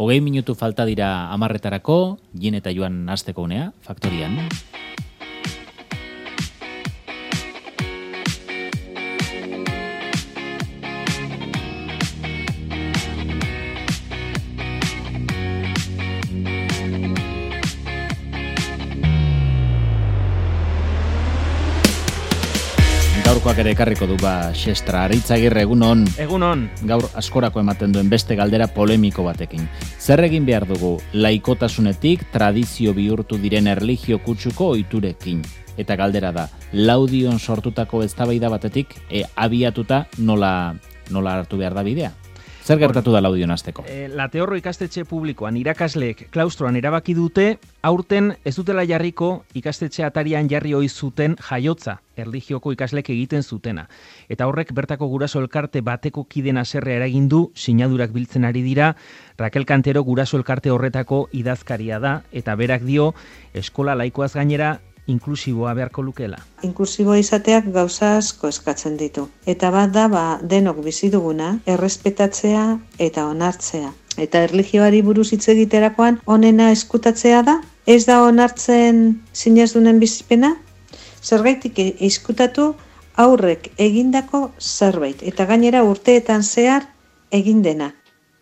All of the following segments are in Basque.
20 minutu falta dira 10:00, Jin eta Joan hasteko unea, Faktorian. Gaurkoak ere ekarriko du Xestra. Aritzagirre, egunon. Egunon. Gaur askorako ematen duen beste galdera polemiko batekin. Zer egin behar dugu laikotasunetik tradizio bihurtu diren erlijio kutsuko ohiturekin? Eta galdera da, Laudion sortutako eztabaida batetik abiatuta nola hartu behar da bidea? Zer gertatu da Laudion hasteko? Lateorro ikastetxe publikoan irakasleek klaustroan erabaki dute, aurten ez dutela jarriko ikastetxe atarian jarri ohi zuten jaiotza, erlijioko ikasleek egiten zutena. Eta horrek bertako guraso elkarte bateko kiden haserrea eragin du, sinadurak biltzen ari dira, Raquel Cantero guraso elkarte horretako idazkaria da, eta berak dio, eskola laikoaz gainera, inklusiboa beharko lukela. Inklusiboa izateak gauza asko eskatzen ditu. Eta bat da, denok bizi duguna, errespetatzea eta onartzea. Eta erlijioari buruz hitz egiterakoan onena eskutatzea da? Ez da onartzen sinesdunen bizipena? Zergaitik eskutatu aurrek egindako zerbait. Eta gainera urteetan zehar egin dena.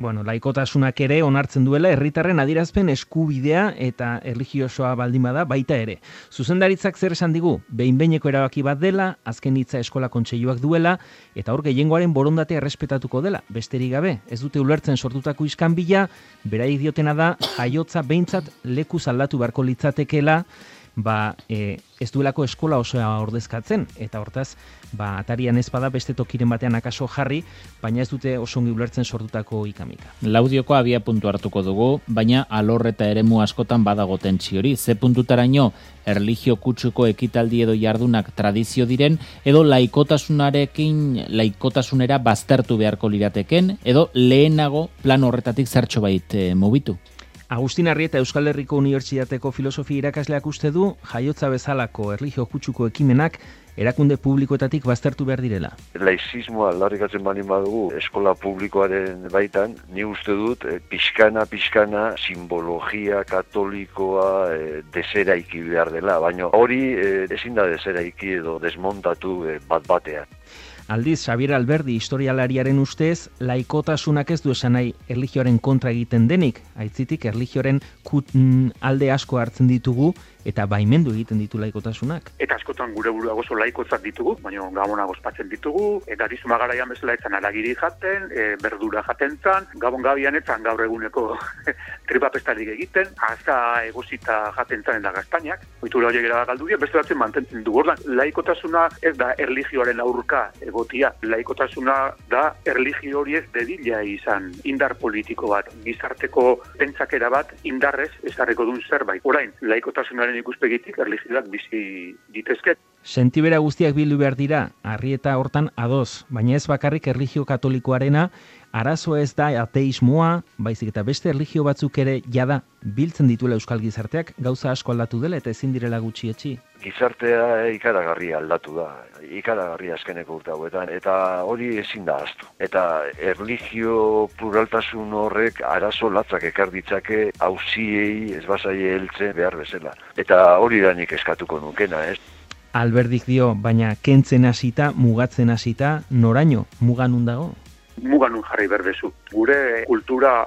Bueno, laikotasunak ere onartzen duela herritarren adierazpen eskubidea eta erlijiosoa baldin bada baita ere. Zuzendaritzak zer esan digu? Behin-behineko erabaki bat dela, azken hitza eskola kontseiluak duela, eta hor gehiengoaren borondatea errespetatuko dela. Besterik gabe, ez dute ulertzen sortutako iskanbila, beraiek diotena da, jaiotza behintzat lekuz aldatu beharko litzatekeela, ez duelako eskola osoa ordezkatzen, eta hortaz, atarian ez bada beste tokiren batean akaso jarri, baina ez dute oso ongi ulertzen sortutako ikamika. Laudioko abia puntu hartuko dugu, baina alor eta eremu askotan badago tentsio hori. Ze puntutaraino erlijio kutsuko ekitaldi edo jardunak tradizio diren, edo laikotasunera baztertu beharko lirateken, edo lehenago plan horretatik zertxo bait mugitu. Agustin Arrieta Euskal Herriko Unibertsitateko filosofia irakasleak uste du jaiotza bezalako erlijio kutsuko ekimenak erakunde publikoetatik baztertu behar direla. Laizismoa aldarrikatzen baldin badugu eskola publikoaren baitan, ni uste dut pixkana simbologia katolikoa deseraiki behar dela, baina hori ezin da deseraiki edo desmontatu bat-batean. Aldiz, Xabier Alberdi historialariaren ustez, laikotasunak ez du esan nahi erlijioaren kontra egiten denik, aitzitik erlijioaren alde asko hartzen ditugu eta baimendu egiten ditu laikotasunak. Eta askotan gure burua oso laikotzat ditugu, baina gabona gozpatzen ditugu, eta dizuma garaian bezala etzan aragiri jaten, berdura jaten zan, gabon gabian etzan gaur eguneko tripapestarik egiten, azta egosita jaten zan eta gaztainak, oitura horiek era galdu dira, beste batzen mantentzen dugu. Ordan, laikotasuna ez da erlijioaren aurka egotia, laikotasuna da erlijio hori ez dedila izan indar politiko bat, gizarteko pentsakera bat indarrez ezarriko duen zerbait. Orain, laikotasunaren ikuspegitik erlijioak bizi ditezke. Sentibera guztiak bildu behar dira, Arrieta hortan ados, baina ez bakarrik erlijio katolikoarena, arazoa ez da ateismoa, baizik eta beste erlijio batzuk ere jada biltzen dituela euskal gizarteak, gauza asko aldatu dela eta ezin direla gutxietsi. Gizartea ikaragarria aldatu da, ikaragarria azkeneko urte hauetan, eta hori ezin da ahaztu. Eta erlijio pluraltasun horrek arazo latzak ekar ditzake auziei ez bazaie heltzen behar bezala. Eta hori da nik eskatuko nukena, ez? Alberdik dio, baina kentzen hasita, mugatzen hasita, noraino, mugan nun dago? Muganun jarri berdezu. Gure kultura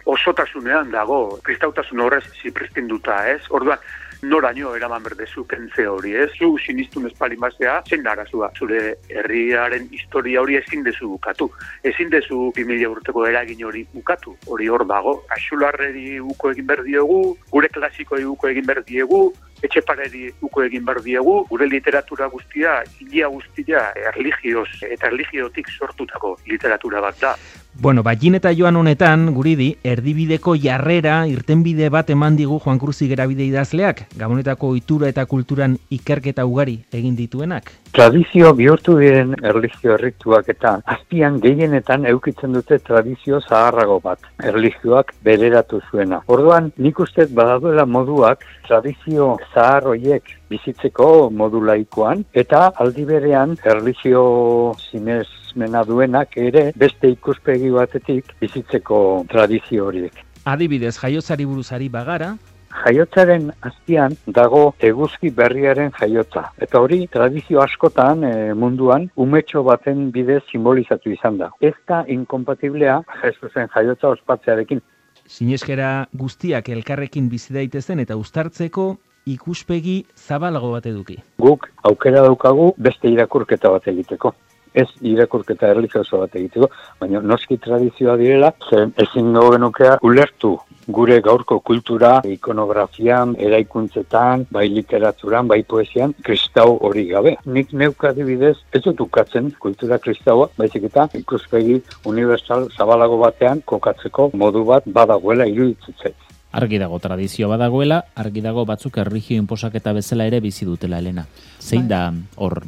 osotasunean dago, kristautasun horrez zipristinduta, ez? Orduan, noraino eraman berdezu kentze hori, ez? Zu sinistun espalin bazea, zein da arazua. Zure herriaren historia hori ezin dezu bukatu. Ezin dezu 2000 urteko eragin hori bukatu. Hori hor dago. Axularreri uko egin behar diegu, gure klasikoei uko egin behar diegu, Etxepareri uko egin behar diegu, gure literatura guztia, hilia guztia, erlijioz eta erlijiotik sortutako literatura bat da. Bueno, Jin eta Joan honetan, guridi, erdibideko jarrera, irtenbide bat eman digu Juan Cruz Igerabide idazleak, Gabonetako ohitura eta kulturan ikerketa ugari egin dituenak. Tradizio bihurtu diren erlijio errituak eta azpian gehienetan eukitzen dute tradizio zaharrago bat, erlijioak bereratu zuena. Orduan, nik uste badaduela moduak tradizio zahar horiek bizitzeko modu laikoan, eta aldi berean erlijio sinesmena duenak ere beste ikuspegi batetik bizitzeko tradizio horiek. Adibidez, jaiotzari buruzari bagara, Jaiotzaren azpian dago eguzki berriaren jaiotza. Eta hori tradizio askotan munduan umetxo baten bidez simbolizatu izan da. Ez da inkompatiblea Jesusen jaiotza ospatzearekin. sineskera guztiak elkarrekin bizi daitezen eta uztartzeko ikuspegi zabalago bat eduki. Guk aukera daukagu beste irakurketa bat egiteko. Ez irakurketa erlijioso bat egiteko, baina noski tradizioa direla, zen ezin genukea ulertu gure gaurko kultura, ikonografian, eraikuntzetan, bai literaturan, bai poesian, kristau hori gabe. Nik neuka adibidez, ez dut ukatzen kultura kristaua, baizik eta ikuspegi universal zabalago batean kokatzeko modu bat badagoela iruditzen. Argi dago tradizio badagoela, argi dago batzuk erlijio inposaketa bezala ere bizi dutela, Elena. Zein da hor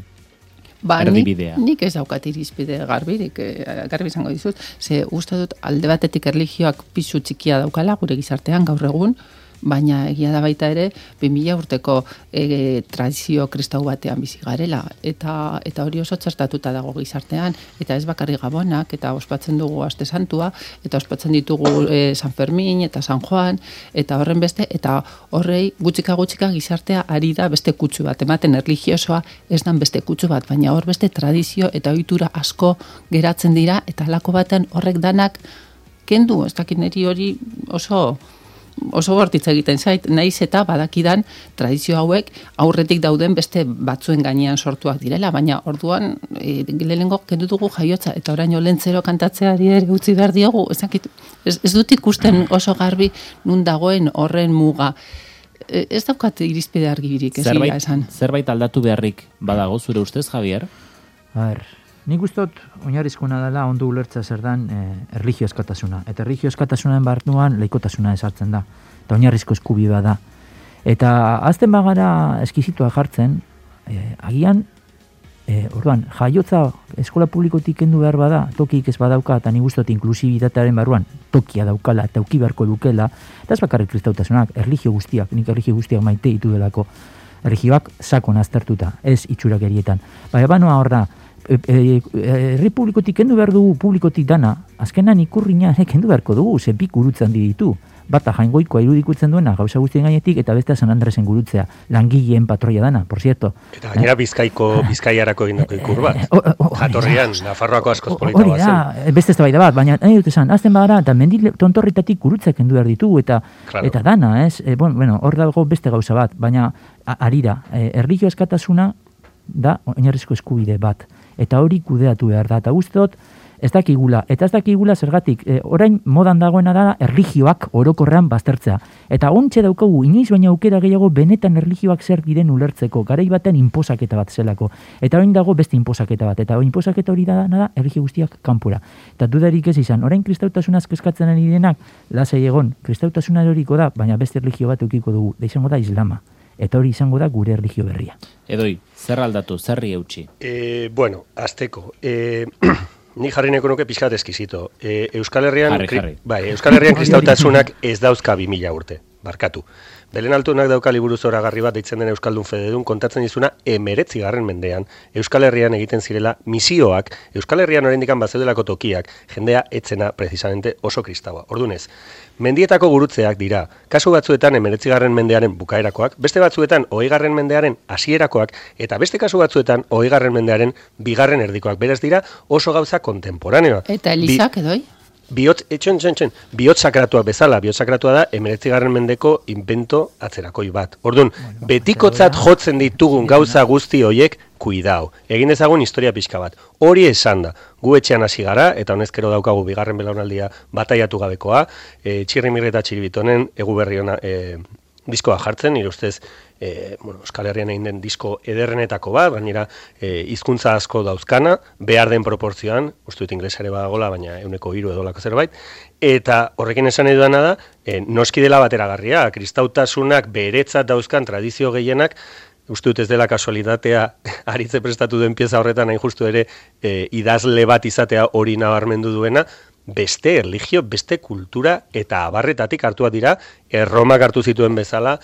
erdibidea? Nik ez daukat irizpide garbi izango dizut, ze uste dut alde batetik erlijioak pisu txikia daukala gure gizartean gaur egun, baina egia da baita ere 2000 urteko tradizio kristau batean bizi garela eta hori oso txertatuta dago gizartean eta ez bakarrik Gabonak eta ospatzen dugu Aste Santua eta ospatzen ditugu San Fermin eta San Juan eta horren beste eta horrei gutxika gizartea ari da beste kutsu bat ematen erlijiosoa ez dan beste kutsu bat baina hor beste tradizio eta ohitura asko geratzen dira eta halako baten horrek danak kendu ez dakit niri hori oso bortitza egiten zait, naiz eta badakidan tradizio hauek aurretik dauden beste batzuen gainean sortuak direla, baina orduan lehenengo kendu dugu jaiotza eta oraino lentzero kantatzeari ere utzi behar diogu, ez dut ikusten oso garbi nun dagoen horren muga. Ez daukat irizpide argirik, ez dira esan. Zerbait aldatu beharrik badago zure ustez, Javier? Nik ustot oinarrizkoena dela ondo ulertza zer dan erlijio eskatasuna. Eta erlijio eskatasunan barnuan laikotasuna esartzen da. Eta oinarrizko eskubidea da. Eta azten bagara eskizitua jartzen, agian, orduan, jaiotza eskola publikotik kendu behar bada, tokik ez badauka, eta nik ustot inklusibitatearen barruan tokia daukala eta auki beharko dukela, eta ez bakarrik kristautasunak, erlijio guztiak, nik erlijio guztiak maite ditu delako, erlijioak sakon aztertuta, ez itxurakerietan. Baina banoa hor da, herri publikotik kendu behar dugu publikotik dana, azkenan ikurrina kendu beharko dugu, ze bi gurutzen ditu. Bata Jaingoikoa irudikutzen duena gauza guztien gainetik eta bestea San Andresen gurutzea, langileen patroia dana, por cierto. Eta gainera Bizkaiarako egindako ikur bat. Jatorrian, Nafarroako askoz polita bat zen. Hori da, beste eztabaida bat, baina nahi dut esan, azten bagara, eta mendi tontorritatik gurutzea kendu behar ditu, eta dana, ez? Bueno, hor dago beste gauza bat, baina arira, erlijio eskatasuna da oinarrizko eskubide bat. Eta hori kudeatu behar da, eta guztot, ez dakigula zergatik, orain modan dagoena da erlijioak orokorrean baztertzea. Eta ontxe daukagu, inoiz baina aukera gehiago benetan erlijioak zer diren ulertzeko, garai baten inposaketa bat zelako. Eta orain dago beste inposaketa bat, eta inposaketa hori da erlijio guztiak kanpora. Eta dudarik ez izan, orain kristautasunaz kezkatzen ari denak, lasai egon, kristautasuna eroriko da, baina beste erlijio bat eukiko dugu, da izango da islama. Eta hori izango da gure erlijio berria. Edoi, zer aldatu, zerri eutxi? Bueno, azteko. Ni jarri neko nuke pixkat eskizito. Euskal Herrian kristautasunak ez dauzka 2000 urte, barkatu. Belen Altunak dauka liburu zoragarri bat deitzen den Euskaldun Fededun kontatzen dizuna 19. mendean Euskal Herrian egiten zirela misioak, Euskal Herrian oraindik bazeudelako tokiak, jendea etzena precisamente oso kristaua. Ordunez, mendietako gurutzeak dira, kasu batzuetan 19. mendearen bukaerakoak, beste batzuetan 20. mendearen hasierakoak eta beste kasu batzuetan 20. mendearen bigarren erdikoak. Beraz dira oso gauza kontemporaneoa. Eta Elizak edoi? Bihotz sakratuak bezala, bihotz sakratua da 19. mendeko invento atzerakoi bat. Orduan, betikotzat jotzen ditugun gauza guzti hoiek, kuidao. Egin ezagun historia pixka bat. Hori esan da. Gu etxean hasi gara, eta honezkero daukagu bigarren belaunaldia bataiatu gabekoa, Txirrimirri eta Txiribitonen egu berri ona diskoa jartzen, nire ustez Euskal Herrian egin den disko ederrenetako bat, gainera hizkuntza asko dauzkana, behar den proportzioan, uste dut inglesare badagola, baina 103 edolako zerbait, eta horrekin esan nahi dudana da, noski dela bateragarria, kristautasunak beretzat dauzkan tradizio gehienak, uste dut ez dela kasualitatea aritze prestatu duen pieza horretan hain justu ere idazle bat izatea hori nabarmendu duena, beste erlijio, beste kultura eta abarretatik hartuak dira, Erromak hartu zituen bezala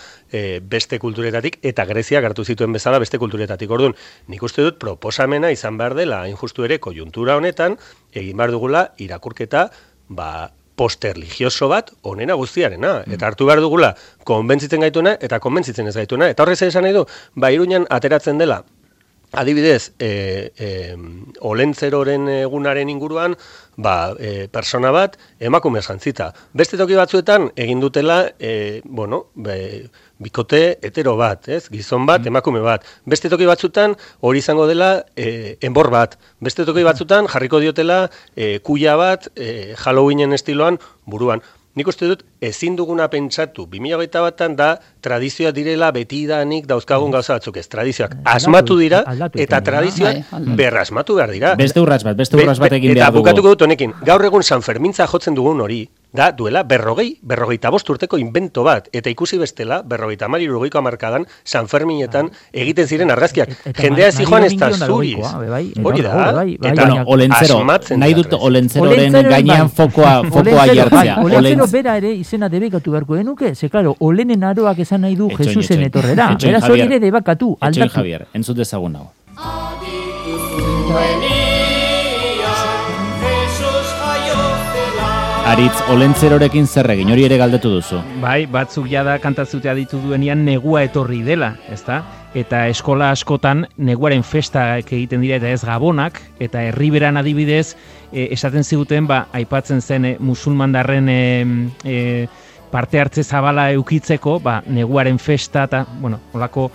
beste kulturetatik eta Greziak hartu zituen bezala beste kulturetatik. Orduan, nik uste dut proposamena izan behar dela, hain justu ere, kojuntura honetan, egin behar dugula irakurketa, posterligioso bat onena guztiarena. Eta hartu behar dugula konbentzitzen gaituena eta konbentzitzen ez gaituena. Eta horrez esan nahi du, Iruñan ateratzen dela, adibidez, olentzeroren egunaren inguruan, persona bat emakume jantzita. Beste toki batzuetan egin dutela, bikote hetero bat, gizon bat, emakume bat. Beste toki batzuetan hori izango dela enbor bat. Beste toki batzuetan jarriko diotela kuia bat Halloweenen estiloan buruan. Nik uste dut, ezin duguna pentsatu, 2021 da tradizioa direla betidanik dauzkagun gauza batzuk ez. Tradizioak asmatu dira eta tradizioak berrasmatu behar dira. Beste urrats bat egin behar dugu. Eta bukatuko dut honekin, gaur egun San Fermintza jotzen dugun hori, da duela 45 urteko invento bat, eta ikusi bestela, 50-60ko hamarkadan San Ferminetan egiten ziren argazkiak. Jendea ez joan ez da zuriz. Hori da, eta olentzero, nahi dut olentzeroren gainean fokoa jartzea. Olentzero bera ere izena debekatu beharko genuke, ze claro, olenen aroak esan nahi du Jesusen etorrera. Beraz hori ere debekatu, aldatu. Etxoin Javier, entzut dezagun hau. Aritz, olentzerorekin zer egin, hori ere galdetu duzu. Bai, batzuk jada kantazutea ditu duenean negua etorri dela, ezta? Eta eskola askotan neguaren festak egiten dira eta ez gabonak, eta herriberan adibidez, esaten ziguten, aipatzen zen musulmandarren parte hartze zabala eukitzeko, neguaren festa eta, holako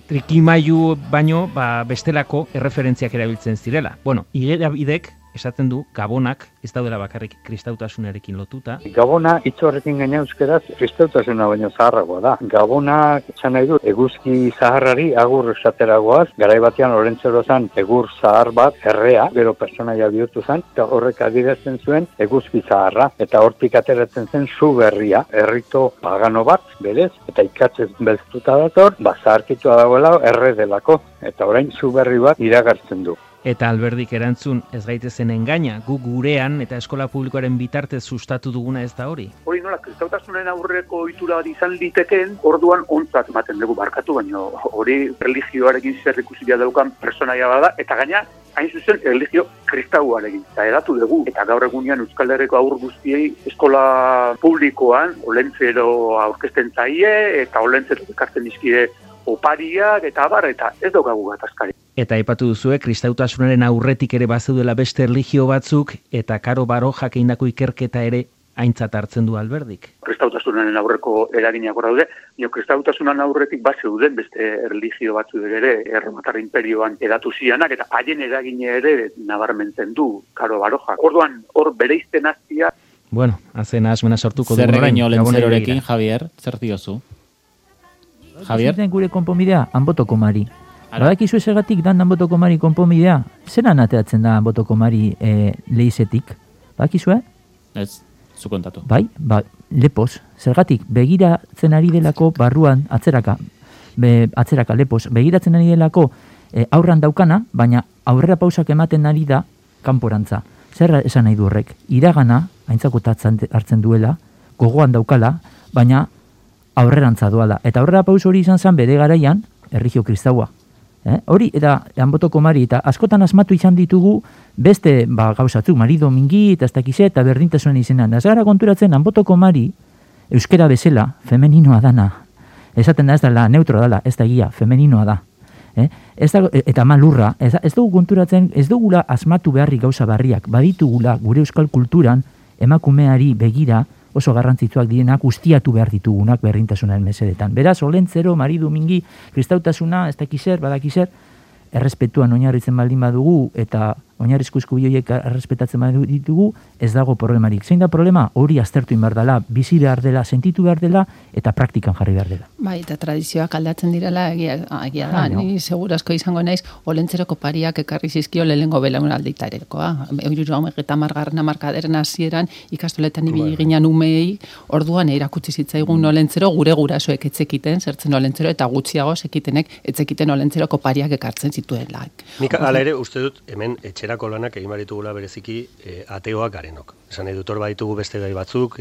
trikimailu baino, bestelako erreferentziak erabiltzen zirela. Igerabidek esaten du gabonak ez daudela bakarrik kristautasunarekin lotuta. Gabona hitz horrekin gaina euskeraz kristautasuna baino zaharragoa da. Gabona esan nahi du eguzki zaharrari agur esateragoaz, garai batean Olentzero zan egur zahar bat errea, gero pertsonaia bihurtu zen, eta horrek adierazten zuen eguzki zaharra, eta hortik ateratzen zen zu berria, errito pagano bat, berez, eta ikatzez belztuta dator, zaharkitua dagoela erre delako, eta orain zu berri bat iragartzen du. Eta Alberdik erantzun ez gaitezen engaina, gu gurean eta eskola publikoaren bitartez sustatu duguna ez da hori. Hori nola, kristautasunen aurreko ohitura bat izan litekeen, orduan ontzat ematen dugu barkatu, baina hori religioarekin zer ikusia daukan personaia bada, eta gaina, hain zuzen, religio kristauarekin. Eta edatu dugu, eta gaur egunean Euskal Herriko haur guztiei eskola publikoan, olentzero aurkezten zaie, eta olentzero ekartzen dizkie opariak, eta abar, eta ez daukagu gatazkari. Eta aipatu duzue, kristautasunaren aurretik ere bazeudela beste erlijio batzuk, eta Karo Barojak egindako ikerketa ere aintzat hartzen du Alberdik. Kristautasunaren aurreko eraginak hor daude, kristautasunan aurretik bazeuden beste erlijio batzuk ere Erromatar Inperioan edatu zianak, eta haien eragine ere nabarmentzen du Karo Barojak. Orduan, hor bereizten hastia. Bueno, hazen asmena sortuko du. Zer egin olentzerorekin, Javier, zer diozu? Javier? Gure konponbidea, Anbotoko Mari. Badakizu esegatik dan Anbotoko Mari konponbidea? Zeran ateatzen da Anbotoko Mari leizetik? Badakizu, Ez, zu kontatu. Bai, lepoz. Zergatik, begiratzen ari delako barruan, atzeraka lepoz, begiratzen ari delako aurran daukana, baina aurrera pausak ematen ari da kanporantza. Zer esan nahi du horrek? Iragana, aintzakotatzen hartzen duela, gogoan daukala, baina aurrerantza doala. Eta aurrera paus hori izan zen bere garaian, erlijio kristaua. Hori, eta Anbotoko Mari, eta askotan asmatu izan ditugu beste gauzatzuk, Mari Domingi, eta ez dakize, eta berdintasunen izenan. Ez gara konturatzen, Anbotoko Mari, euskera bezala, femeninoa dana. Esaten da ez dela, neutro dela, ez da egia, femeninoa da. Eta malurra, ez dugu konturatzen, ez dugula asmatu beharrik gauza barriak, baditugula gure euskal kulturan, emakumeari begira, oso garrantzitsuak direnak ustiatu behar ditugunak berdintasunaren mesedetan. Beraz, Olentzero, Mari Domingi, kristautasuna, ez dakizer, badakizer, errespetuan oinarritzen baldin badugu eta oinarrizko eskubideak errespetatzen baditugu, ez dago problemarik. Zein da problema? Hori aztertu behar dela, bizi behar dela, sentitu behar dela eta praktikan jarri behar dela. Bai, eta tradizioak aldatzen direla egia da. Ni segurazko izango naiz Olentzeroko pariak ekarri zizkio lehengo belaunalditarekoa. 30. hamarkadaren hasieran ikastoletan ibili ginen umeei, orduan erakutsi zitzaigun Olentzero gure gurasoek etzekiten, zertzen Olentzero eta gutxiago sekitenek etzekiten Olentzeroko pariak ekartzen zituela. Nik hala ere uste dut hemen etxerako lanak egin baritugula bereziki ateoak garenok. Esan nahi dut hor baditugu beste gai batzuk,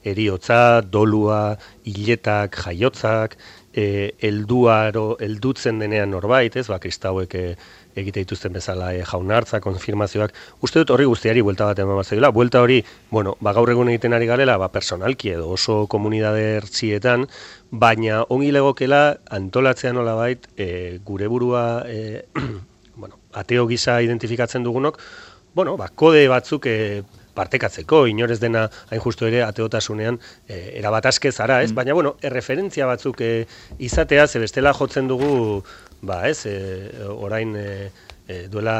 eriotza, dolua, hiletak, jaiotzak, heldutzen denean norbait, kristauek egite dituzten bezala jaunartza, konfirmazioak, uste dut horri guztiari buelta bat eman batzaiola. Buelta hori, gaur egun egiten ari garela, personalki edo oso komunidade ertzietan, baina ongi legokela antolatzea nolabait gure burua ateo gisa identifikatzen dugunok, kode batzuk partekatzeko, inorez dena hain justu ere ateotasunean erabat aske zara, ez? Baina, erreferentzia batzuk izatea, ze bestela jotzen dugu, orain duela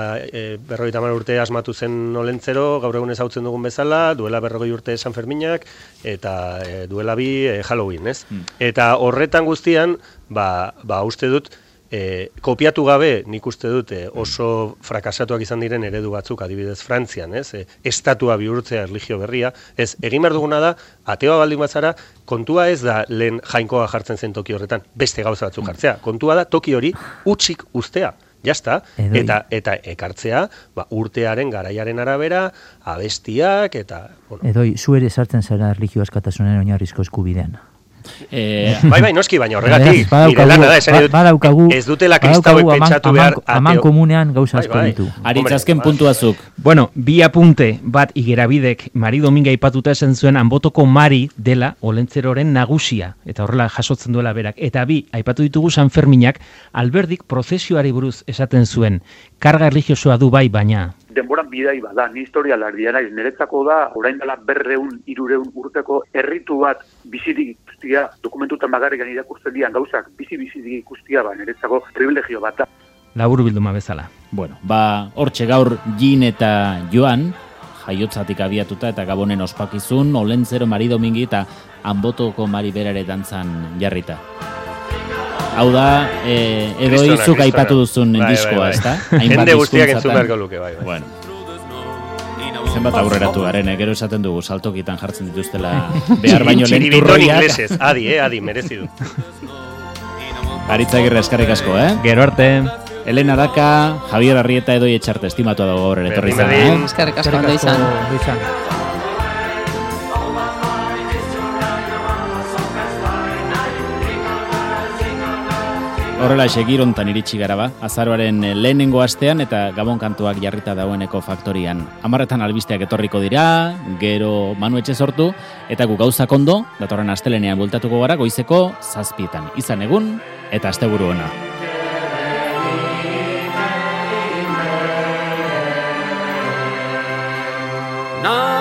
50 urte asmatu zen Olentzero, gaur egun ezautzen dugun bezala, duela 40 urte San Ferminak, eta duela 2 Halloween, ez? Eta horretan guztian, uste dut, kopiatu gabe, nik uste dut oso frakasatuak izan diren eredu batzuk, adibidez Frantzian, estatua bihurtzea erlijio berria, egin behar duguna da, ateoa baldin batzara, kontua ez da lehen jainkoa jartzen zen toki horretan, beste gauza batzuk jartzea, kontua da toki hori utzik uztea, jazta, eta ekartzea urtearen, garaiaren arabera, abestiak, eta... Edoi, zu ere sartzen zara erlijio askatasunen oinarrizko eskubidean. Bai, noski, baina horregatik, nire lana da, esan dut, ez dutela kristauek pentsatu behar... Aman komunean gauza asko ditu. Aritzazken puntuazuk. Bueno, bi apunte bat Igerabidek Mari Dominga aipatuta esan zuen Anbotoko Mari dela Olentzeroren nagusia, eta horrela jasotzen duela berak. Eta bi, aipatu ditugu San Ferminak, Alberdik prozesioari buruz esaten zuen, karga erlijiosoa du bai, baina... Denboran bidai bada, ni historia lardia naiz, niretzako da, orain dela 200-300 urteko herritu bat bizirik ikustia, dokumentutan bagarrikan irakurtzen dian gauzak bizirik ikustia, niretzako privilegio bat da. Laburu bilduma bezala. Bueno, hortxe gaur Jin eta Joan, jaiotzatik abiatuta eta Gabonen ospakizun, Olentzero, Mari Domingi eta Anbotoko Mari berare dantzan jarrita. Hau da, edo izuk aipatu duzun diskoa, ez da? Jende guztiak entzun beharko luke, bai. Bueno. Zenbat aurreratu garen, gero esaten dugu, saltokitan jartzen dituztela behar baino lehen turroiak. Inglesez, adi, merezi du. Aritz Agirre, eskarrik asko, Gero arte. Elena Daka, Javier Arrieta edo etxarte, estimatu dago gaur ere etorri zan. Eskarrik asko, ondo izan. Horrela girontan iritsi gara azaroaren lehenengo astean eta Gabon kantuak jarrita daueneko faktorian. 10etan albisteak etorriko dira, gero Manu Etxe sortu, eta gu gauzak ondo, datorren astelenean bueltatuko gara goizeko 7:00. Izan egun eta asteburu ona. No.